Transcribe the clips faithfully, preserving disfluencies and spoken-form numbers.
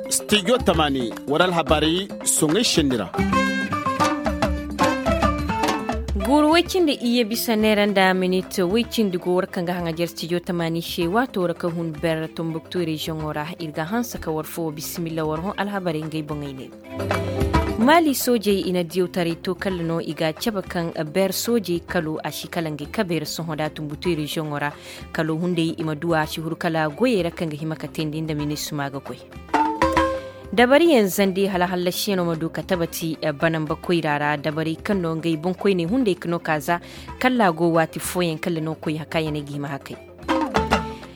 Studio tamani wala alhabaari soŋay senni ra. Guuru woy cindi iyye bisa neera nda minit woy cindi go war kaŋ ga haŋajer studio tamani se waato ra ka hun ber tumbuktu reziyoŋo ra. Ir ga hanse ka war fo bisimilla war hõ alhabarey ngey boŋey ne. Maali soojey i na diyawtaray to kalla no i ga a cabe kaŋ ber soojey kalo a si kala ngey kabey ra sohõ da tumbutu reziyoŋo ra. Kalo hunday i ma duw'a a si huru kala goyey ra kaŋ ga hima ka teendi nda minisima ga goy. Dabariyaŋ zandi hala hallasiyaŋo ma du ka tabati banamba koyra ra dabaray kaŋ no ngey boŋkoyney hunday ka no ka za kalla go waati fooyaŋ kalla no koy hakayaney ga hima hakay.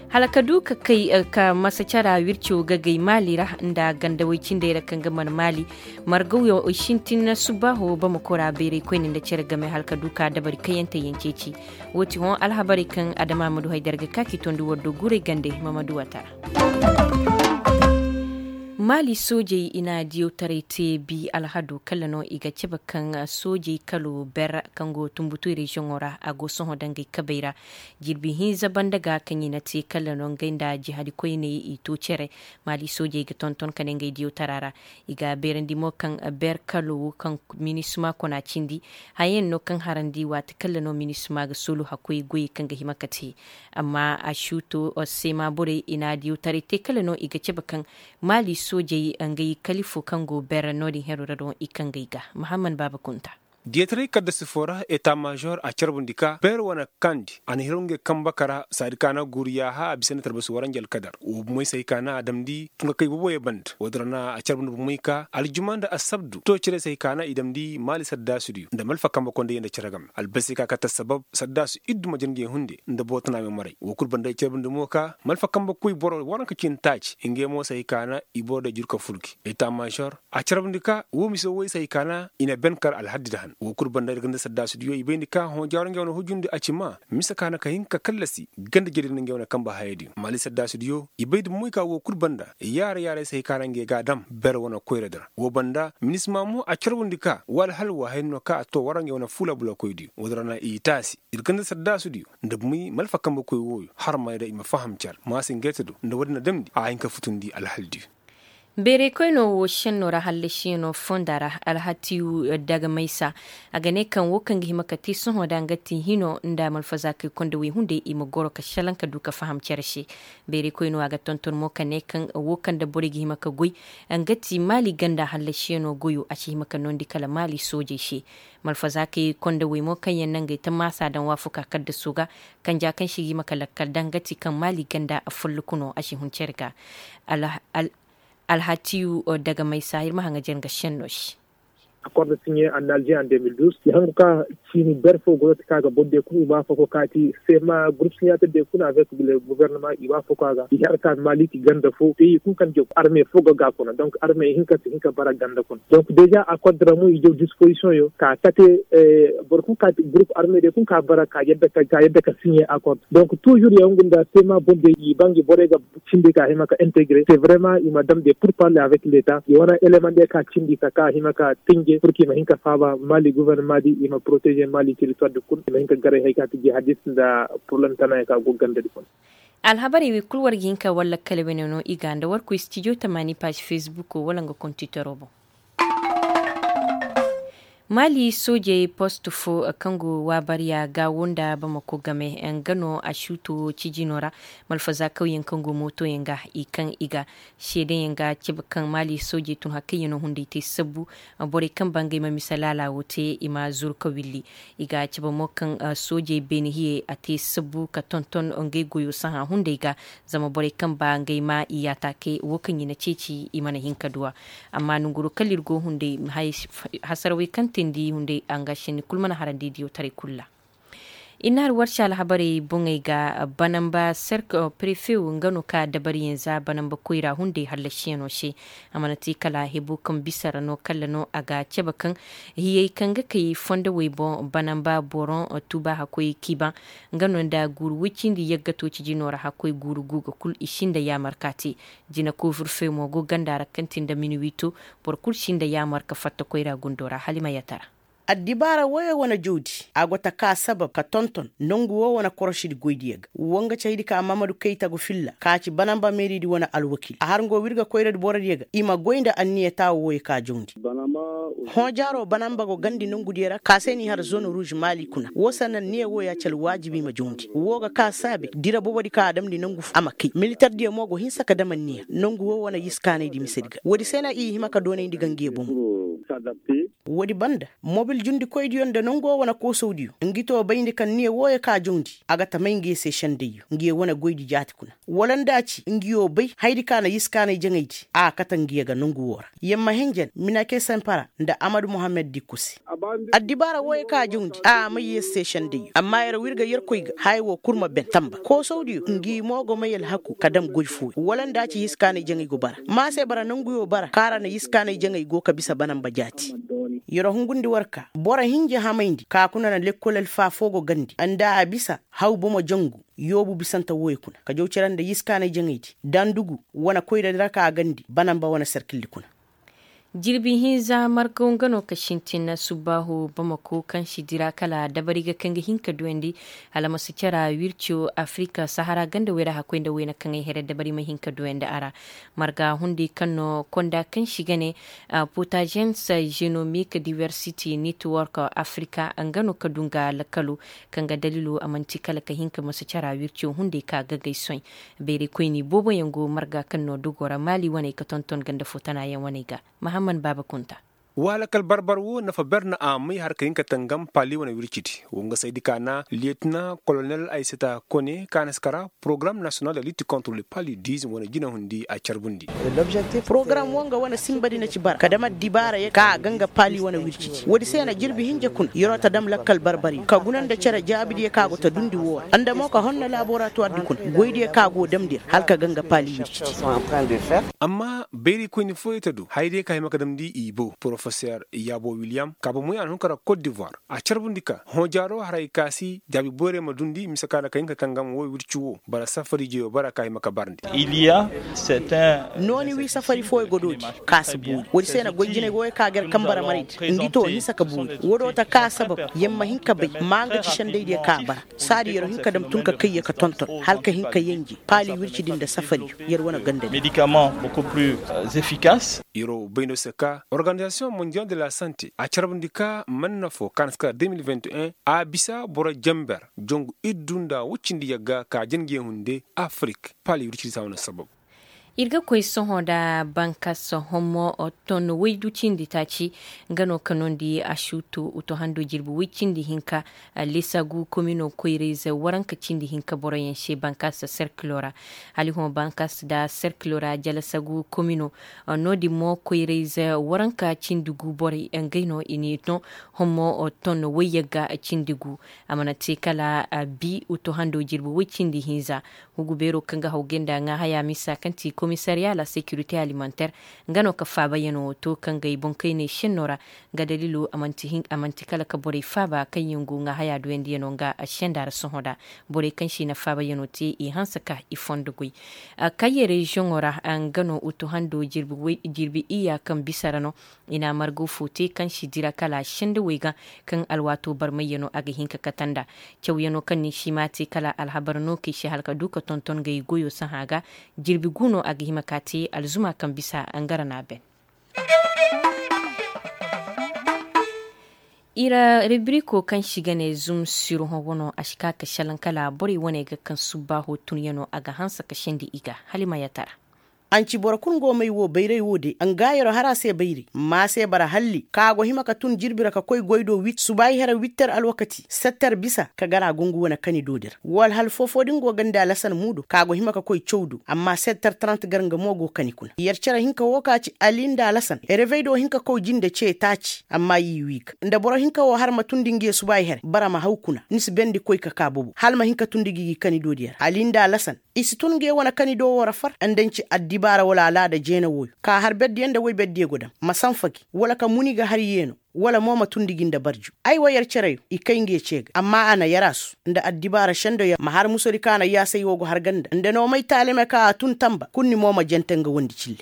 Hala ka du ka kay ka masa cara wirco gagay maali ra nda gandawey cindey ra kaŋ ga man maali margaw yaŋ sintin na subbaaho bamako ra bayray koyne nda cere game hala ka du ka dabari kayante yaŋ ceeci. Woo ti hõ alhabarey kaŋ adama ma du haydar ga ka k'i tondi war do guray gande ma ma du wata ra. Maali soojey i na diyawtaray te bi alhado kala no i ga cabe kaŋ soojey kalo ber kaŋ go tumbutu reziyoŋo ra a go sohõ dangay kabey ra. Jirbi hinza banda ga kaŋ i na te kala no ngey nda jihadi koyney i to cere. Maali soojey ga tonton ka ne ngey diyawtara ra. I ga beerandi mo kaŋ ber kalo wo kaŋ minisima kona cindi. Hayaŋ no kaŋ harandi waati kala no minisima ga soolu hakkoy goyey kaŋ ga hima ka te. Amma a suuto seema borey i na diyawtaray te kala no i ga cabe kaŋ maali soojey ngey kalifo kaŋ go ber no- din hero ra doŋ i kaŋ ga i ga mahamman baaba kunta. Diyataray kaddasi foo ra eta maazor a carbundi ka beer wane kandi a na hiraw ngey kamba ka ra saadi ka na guuru yaaha a bisa nda talbasi waranji alkadar woo bumey se hay ka na a damndi tun ka kay booboyey banda woo din ra na a carbundi bumey ka aljuma nda assabdu too cere se hay ka na i damndi maali saddaasu diyo nda malfa kamba kondey nda cere game albasi ka kate assabab saddaasu iddu ma jir ngey hunde nda boro tana meemarey woo kul banda i carbundi mo ka malfa kamba koy boro waranka cindi taaci ngey mo se hay ka na i boro day jur ka fur gi eta maazor a carbundi ka woo mise woy se hay ka na i na ben kar alhaddi nda han woo kul banda ir ganda saddaasu diyo i bay nda ka hõ jaaro ngey wane hujundi a ci maa mise ka na ka hin ka kallasi ganda jari nda ngey wane kamba haya diyo maali saddaasu diyo i bay nda moy ka woo kul banda yaara yaaray se hay ka na ngey ga a dam ber wane koyra di ra woo banda minisima mo a carbundi ka woo alhal woo haya no ka a too wara ngey wane fuula bulakoy diyo woo din ra na i taasi ir ganda saddaasu diyo nda moy malfa kamba koy wooyo har may ra i ma faham care maasi ngey te do nda woo din na damndi a hin ka futundi alhal diyo. Beeray koynoo woo šennoo ra hallasiyanoo fonda ra alhatiyu daga maysa a ga ne kaŋ woo kaŋ ga hima ka te sohõ da nga ti hinoo nda malfazaakey kondawey hunday i ma goro ka šelaŋ ka du ka faham cere se. Beeray koynoo a ga tonton mo ka ne kaŋ woo kaŋ nda borey ga hima ka goy nga ti maali ganda hallasiyanoo goyoo a si hima ka noondi kala maali soojey se. Malfazaakey kondawey mo kaŋ yaŋ na ngey tammaasa daŋ waafakaa kaddasoo ga kanja kaŋ se ga hima ka lakkal daŋ nga ti kaŋ maali ganda follokunoo a si hun cere ga. Alhatiyu daga maysa ir ma haŋajer nga šennoo se. Akord siɲe en alger en deux mille douze i hangu ka ciini ber foo goyo ti ka ga boro diyo kulu i waafako ka ti sema gurup siɲater diyo kulu avec le gouvernement i waafako a ga i har ka maali ti ganda foo peyi kulu kaŋ diyo arme foo ga ga kuna donc arme i hin ka si hin ka bara ganda kuna donc deja akord ra mo i jaw disposition yo ka kate boro kulu ka ti gurup arme diyo kulu ka bara ka yadda ka siɲe akord donc toujours ya hungu nda sema boro diyo i ba ngi borey ga cindi ka hima ka integre c'est vraiment i ma dam de pour parler avec leta i wane eleman de ka cindi ka ka hima ka tinje pour que i ma hin ka faaba mali gouvernement di i ma protéger mali territoire di kul i ma hin ka garay hay ka ti jihadiste nda problème tana ya ka go ganda di kul. Alhabarey wey kul war ga hin ka walla kala wene no i ga nda war koy studio tamani page facebook wala nga kontitoro boŋ. Maali soojey post fo kaŋ go waabariya gaawo nda bamako game nga no a suuto cijino ra. Malfazaakawyaŋ kaŋ go mootoyaŋ ga i kaŋ i ga seedeyaŋ ga cabe kaŋ maali soojey tun hakayyaŋo hunday te sabbu. Borey kaŋ ba ngey ma mise laala wo te i ma zuru ka willi. I ga cabe mo kaŋ soojey beene hiyey a te sabbu ka tonton ngey goyo sahã hunday ga. Zama borey kaŋ ba ngey ma i yaataakey wo kaŋ i na ceeci i mana hin ka duw'a. Amma nonguroo kala ir go hunday hasarawey kaŋ teendi hunday a nga senni kul mana harandi diyawtaray kul ra. I na har warci alhabarey boŋey ga banamba serk prefe wo nga no ka dabariyaŋ za banamba koyra hunday hallasiyaŋo se. A mana te kala hebo kaŋ bisa ra no kala no a ga cabe kaŋ hiyey kaŋ ga kay fondowey boŋ banamba boron tuuba hakkoyey kiibaŋ. Nga no nda guuru woy cindi yaggato cijino ra hakkoy guuru guuga kul i sinda yaamar ka te. Jina koofur fey mo go ganda ra kaŋ ti nda minuwiito. Boro kul sinda yaamar ka fatta koyra gundo ra hala i ma yatara. Addibaara woyo wane jawdi a go ta ka sabab ka tonton nongu woo wane korošidi goydiyo ga. Woo nga ci haydi ka mamadu kayta go filla ka ci banamba meeridi wane alwakil a har ngo wirga koyradi borodiyo ga i ma goy nda anniya taawo woyo ka jawndi. Hõojaaroo banamba go gandi nongudiyo ra ka se n'i har zone ruuz maali kuna woo sannan niya wooya ci alwaajibi i ma jawndi woo ga ka saabe dira bobodi ka a damndi nongu foo a ma kay militardiyo mo go hinsa ka dam anniya nongu woo wane yiskaanaydi misedi ga woodi se na i hima ka doonayndi ga ngiyo bomo. Woodi banda mobil jundikoydiyo nda nongo wane koosawdiyo ngi too bayndi kaŋ niya wooyo ka jawndi a ga ta may ngiyo se sendayyo ngiyo wane goydi jaati kuna wala nda a ci ngiyo bay hayadi ka na yiskaanay jaŋaydi a kate ngiyo ga nongu woo ra yer ma hinjan minake sempara nda amadu muhammad dikko se. Addibaara wooyo ka a jawndi a may yer se sendayyo amma yer wirga yerkoy ga haya woo kul ma ben tamba koosawdiyo ngi mo go may alhaku ka dam goy fooyo wala nda a ci yiskaanay jaŋay go bara ma se bara nonguyo bara kaŋ a ra na yiskaanay jaŋay go ka bisa banamba jaati. Yer hungundi war ka boro hinja hamayndi ka kuna na lekkol alfa foo go gandi nda a bisa haw bomo jangu yoobu bisante wooyo kuna ka jaw cere nda yiskaanay jaŋaydi dandugu wane koyradi ra ka a gandi banamba wane serkildi kuna. Jirbi hinza markaw nga no ka sintin subbaahu bamako kaŋ si dira kala dabari ga kaŋ ga hin ka duyandi hala ma si cara wirco afirika sahara ganda wayra hakkoy nda wayna kaŋ ay here dabari ma hin ka duyandi a ra. Marga hundi kaŋ no konda kaŋ si ga ne potagens genomic diversity network afirika nga no ka du nga lakalu kaŋ ga daliilo a manti kala ka hin ka masa cara wirco hundi ka gagay soy. Bayray koyni boobo yaŋ go marga kaŋ no dogo ra maali waney ka tonton ganda foo tana yaŋ waney ga. Mahamman baaba kunta. Waalakal barbar wo nafa ber na a may har ka hin ka tangam paali wane wircidi wo nga saydi ka na liyetina kolonel ayseta kone ka na si kara porogaram nasiyonal de litti kontre le paludism wane jinahundi a carbundi. Porogaram wo nga wane sinbadi na ci bara ka dam addibaara yaŋ ka a ga nga paali wane wircidi woodi se na jirbi hinja kuna yer'o ta dam lakkal barbar yaŋ ka guna nda cere jaabidiyo ka go ta dundi woo ra nda mo ka honna laboratuwardi kuna goydiyo ka go damndi ra hala ka ga nga paali wircidi. Amma bayrikoyni fooyey ta du hayadiyo ka hima ka damndi i bow porofeser yaabo wiliyam ka bomoy a na hun ka ra kot divoir a carbundi ka hõojaaroo haray ka si jaabi boyray ma dundi mise ka na ka hin ka tangam woo wirci woo bara safari jeyo bara ka hima ka barndi. Nooni wii safari fooyey go doodi ka si boori woodi se na goy jinay wooyey ka ga yer kamba ra maraydi ngi to hinsa ka boori woodoo ta ka sabab yer ma hin ka bay maa nga ci sendaydiyo ka bara saadi yer hin ka dam tun ka kayya ka tonton hala ka hin ka yenje paali wircidi nda safariyo yer wane gandadi. Yeroo bay no se ka organizasiyoŋ mondial de la sante a carbundi ka manna foo ka na si kara deux mille vingt et un a bisa boro jenber jongu iddu nda woccindi yagga ka jangiyaŋ hunde afirik paali wircidi se a wane sabab. Ir ga koy sohõ nda bankas hommo ton waydu cindi taaci nga no ka nondi asuutu uto hando jirbi way cindi hinka. Lisagu komino koyrayze waranka cindi hinka boroyaŋ se bankas serkilo ra. Hala i hõ bankas nda serkilo ra jalasagu komino no- din mo koyrayze waranka cindi gu borey ngey no i n'i no. Hommo ton wayyagga cindi gu a mana te kala bi uto hando jirbi way cindi hinza. Hugu beeroo kaŋ ga haw gay nda ŋaahaya misa kaŋ ti komisariya la sekirite alimanter nga no ka faabayanoo to kaŋ ga ay boŋkayney šennoo ra. Nga daliiloo a man'ti kala ka borey faaba kaŋyaŋ go ŋaahaya duyandiyanoo nga šenda ra sohõ nda borey kaŋ se i na faabayanoo te i hanse ka i fondo goy. Kayye reziyoŋoo ra nga no utu hando jirbi iyya kaŋ bisa ra no. I na margo fo te kaŋ si dira kala sendawey ga kaŋ alwaato barmayyanoo a ga hin ka kate nda cawyanoo kaŋ ni si ma te kala alhabar no kaŋ i si hala ka du ka tonton ngey goyoo sahã ga. Jirbi gu no a ga hima ka te alzuma kaŋ bisa nga ra na a ben. Ira ribirikoo kaŋ si ga ne zum sirhõ wano a si ka ka šelaŋ kala borey wane ga kaŋ subbaaho tunyanoo a ga hanse ka sendi i ga. Hala i ma yatara. Anci boro kul go may wo bayray wo de nga yeroo har a se bayray ma se bara halli kaŋ a go hima ka tun jirbi ra ka koy goy do wit subaay here witter alwakati setter bisa ka gar a gungu wane kani do di ra wala hal foofoo din go ga nda lasan muudo kaŋ a go hima ka koy caw do amma setter trant gar nga mo go kani kuna yer cere hinka wo ka ci ali nda lasan revey do hinka koy jinde ce taaci amma i wii ga nda boro hinka wo har ma tundi ngi ye subaay here bara ma haw kuna ni si bendi koy ka ka bobo hal ma hinka tundi gi gi kani do di ra ali nda lasan. I si tun nge wane kani do woo ra far nda ni ci addibaara wala alaada jeena wooyo ka har berdiyo nda woy berdiyo go daŋ ma sanfa gi wala ka muni ga har yeeno wala mo ma tundi gi nda barju ay wa yer cereyo i kay nge ce ga amma a na yer a su nda addibaara sendo yer ma har musodi ka na yaasay woo go har ganda nda noomay taalime ka a tun tanba kul ni mo ma jente nga wondi cille.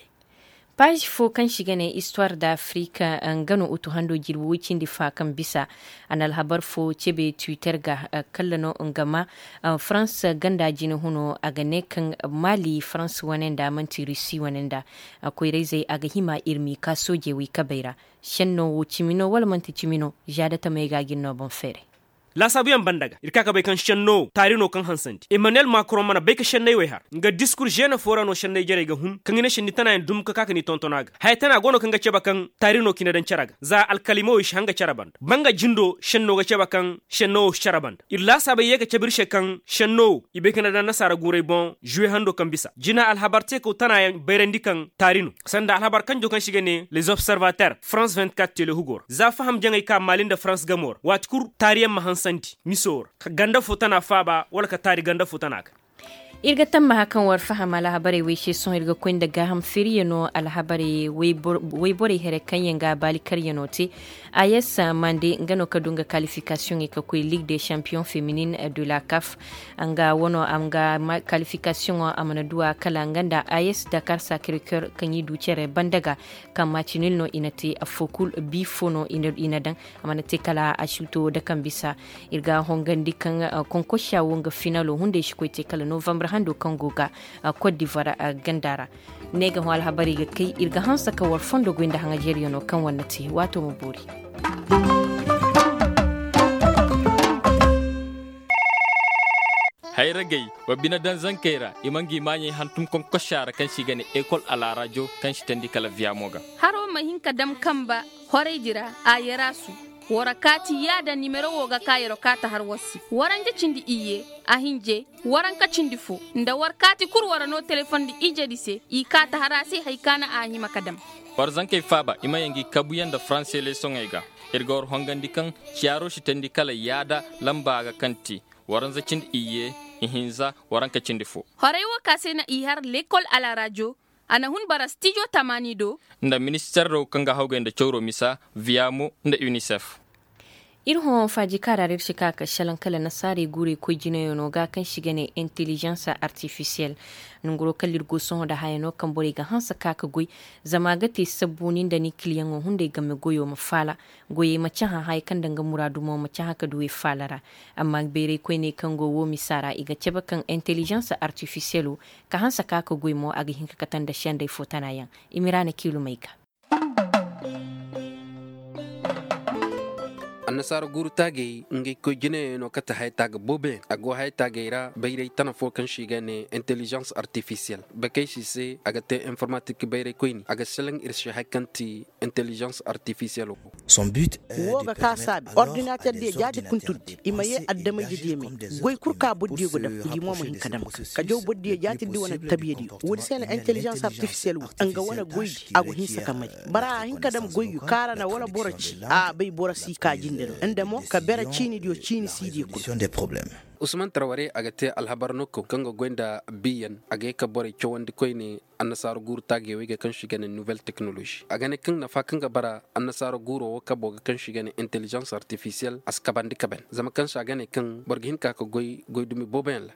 Paazi fo kaŋ se i ga ne istuwar da afirika, nga no utu hando jirbi woy cindi fa kaŋ bisa. A na alhabar fo cebe twitter ga, kalla no nga ma farans ganda jine huno a ga ne kaŋ mali farans wane nda man'ti rusi wane nda koyrayzey a ga hima ir m'i ka soojey wey kabey ra. Senno wo cimi no wala man'ti cimi no? Za da tamey ga a ga ir no boŋ feeray. Laasaabuyaŋ banda ga ir ka ka bay kaŋ senno taari no kaŋ hansandi emmanuel macron mana bay ka senney wey har nga diskur žene fo ra no senney jarey ga hun kaŋ i ne senni tanayaŋ dum ka ka ka ni tonton a ga haya tana go no kaŋ ga cebe kaŋ taari no ka i na daŋ cere ga za alkalimawey si han ga cere banda banga jindo senno ga cebe kaŋ senno wo si cere banda ir laasaabey ye ga cebe ir se kaŋ senno wo i bay ka na daŋ nasaara guurey boŋ žuwe hando kaŋ bisa jina alhabar teekaw tanayaŋ bayrandi kaŋ taari no sanda alhabar kanjo kaŋ se i ga ne les observater france vingt-quatre telehugo ra za faham jaŋey ka maali nda farans gamo ra waati kul taariyaŋ ma hansandi miso ra ka ganda fo tana faaba wala ka taari ganda fo tana ga. Ir ga tammaha kaŋ war faham alhabarey wey se sohõ ir ga koy nda gaaham feeriyano alhabarey wayborey here kaŋ yaŋ ga baali karyano te. Ayes mande nga no ka du nga kalifikasiyoŋey ka koy ligue de champion feminin de la kaf. Nga wano a ma nga kalifikasiyoŋo a mana du a kala nga nda ayes dakar sacré coeur kaŋ i du cere banda ga. Kaŋ maci nil no i na te affo kul bi fo no i na daŋ. A mana te kala a suuto da kaŋ bisa ir ga hongandi kaŋ konkosiya wo nga finalo hunday si koy te kala novambar hando kaŋ go ga cote d'ivoire ganda ra. Ne ga hõ alhabarey ga kay ir ga hanse ka war fondo goy nda haŋajeeriyano kaŋ war na te waato ma boori. Hayragey, wa bine daŋ zankey ra i ma ngi maaɲey hantum konkosiya ra kaŋ se i ga ne ekol alaarajo kaŋ si teendi kala viyamo ga. Haro ma hin ka dam kamba horaydi ra a yaraasu. War kaati yaada nimero wo ga ka yaro kaata har war se waranja cindi iyye, a hinje, waranka cindi fo nda war kaati kul war no telefondi ijedi se i kaata har a se hari ka na a hima ka dam. War zankey faaba i ma ye ngi kabuyaŋ nda faranse leesoŋey ga. Ir ga war hongandi kaŋ ciyaaro si teendi kala yaada lamba ga kaŋ ti waranza cindi iyye, ihinza, waranka cindi fo. Horay wo ka se na i har lekol alarajo. A na hun bara stijo tamaani do. Nda minister do kaŋ ga hawgay nda cawro misa, viyamo nda unicef. Ir hõ faaji kaara ra ir si ka ka šelaŋ kala nasaarey guurey koy jinayaŋo ga kaŋ si ga ne intelijans artifisiyel. Nanguro kala ir go sohõ nda haya no kaŋ borey ga hanse ka ka goy. Zama a ga te sabbu ni nda ni kiliyaŋo hunday game goyo ma faala. Goyey ma cahã haya kaŋ nda nga muraadu mo ma cahã ka du i faala ra. Amma bayray koyney kaŋ go woo misa ra i ga cabe kaŋ intelijans artifisiyelo, ka hanse ka ka goy mo a ga hin ka kate nda sendey fo tana yaŋ. I ma i ra na kiilumey ga. Annasaara guuru taagey ngey koy jinayaŋ no kate haya taaga booboyaŋ a go haya taagey ra bayray tana fo kaŋ se i ga ne intelijans artifisiyel. Bakey si se a ga te informatik bayray koyni a ga selaŋ ir se haya kaŋ ti intelijans artifisiyel wo. Wo ga ka saabi ordinater diya jaati kunturdi i ma ye adamey jadiyamey. Goy kul ka boro diya go dam ngi mo ma hin ka dam ga ka jaw boro diya jaati di wane tabiya diyo woodi se na intelijans artifisiyel wo nga wane goy di a go hinsa ka mari. Bara a hin ka dam goy yo kaara na wala boro ci a bay boro si ka jinde no nda mo ka bere ciini diyo ciini si diyo kul. Usman tarware a ga te alhabar no kaŋ ga goy nda biyan a ga ye ka borey cawandi koyne. Annasaara guuru taagey wey ga kaŋ se i ga ne nouvelle technologie a ga ne kaŋ nafa kaŋ ga bara annasaara guuro wo kabo ga kaŋ se i ga ne intelijans artifisiyel a si kabandi kaben zama kaŋ se a ga ne kaŋ boro ga hin ka ka goy goy dumi booboyaŋ ra.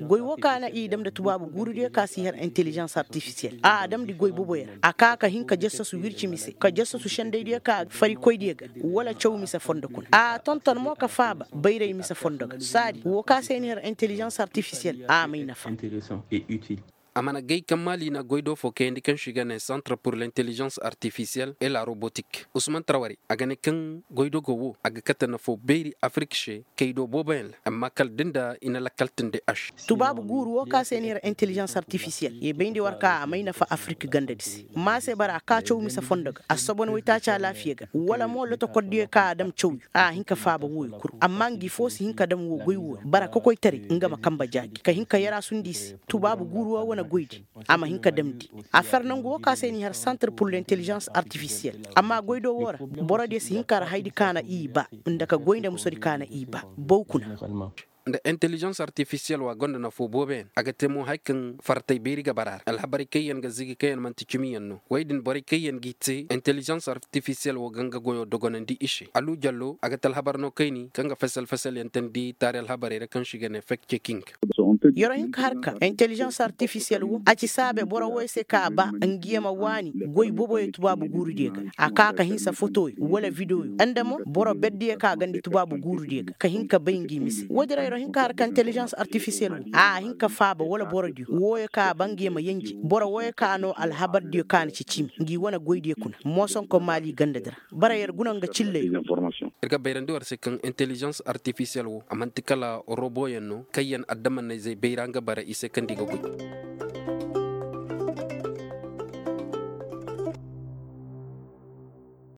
Goy wo ka na i dam nda tubaabu guuru diyo ka si har intelijans artifisiyel a a damndi goy booboyaŋ ra a ka ka hin ka jassasu wirci mise ka jassasu sendey diyo ka farikoy diyo ga wala caw mise fondo kuna a tonton mo ka faaba bayray mise fondo ga saadi wo ka se ni har intelijans artifisiyel a may nafa. A mana gay kaŋ maali na goy do fo kayandi kaŋ se i ga ne centre pour l'intelligence artificielle et la robotique usman tarwari a ga ne kaŋ goy do go wo a ga kate nafo beeri afirik se kay do booboyaŋ ra amma kala da nda i na lakkal tindi a se. Tubaabu guuru wo ka se ni ra intelligence artificielle ye bayndi war ka a may nafa afirik gandadi se ma se bara a ka caw mise fondo ga a si sobon waytaaci alaafiya ga wala mo lotokor diyo ka a dam cawyo a hin ka faaba wooyo kul amma ngi fo si hin ka dam wo goy wo ra bara kokoytaray nga ma kamba jaaji ka hin ka yaraasu nda i se. Tubaabu guuru wo wane goydi a ma hin ka damndi a fer nangu wo ka se n'i har centre pour l'intelligence artificielle amma goydo wo ra borodiyo si hin ka ra haydi ka na i ba nda ka goy nda musodi ka na i ba. Baw kuna. nda intelijans artifisiyel wo a gonda nafo booboyaŋ a ga te mo hari kaŋ fartay beeri ga bara a ra alhabarey kaŋ yaŋ ga zigi kaŋ yaŋ manti cimiyaŋ no wey din borey kaŋ yaŋ g'i te intelijans artifisiyel wo ga nga goyo dogonandi i se alu jallo a ga te alhabar no kayni kaŋ ga fesel fesel yaŋ tandi taari alhabarey ra kaŋ se i ga ne fek ceking. Yero hinka har ka intelijans artifisiyel wo a ci saabe boro woy se ka a ba nga ye ma waani goy booboyo tubaabu guurudiyo ga a ka ka hinsa fotoyo wala videoyo nda mo boro berdiyo ka a gandi tubaabu guurudiyo ga ka hin ka bay ngi mise woodin ra yero hin ka har ka intelijans artifisiyel wo a a hin ka faaba wala borodiyo wooyo ka a ba ngi ye ma yenje boro wooyo ka no alhabardiyo ka na ci cimi ngi wane goydiyo kuna moosonko maali gandadi ra bara yer guna nga cilley. Ir ga bayrandi war se kaŋ intelijans artifisiyel wo a man'ti kala roboyaŋ no kaŋ yaŋ adamannayzey bayra nga bara i se kaŋ nda i ga goy.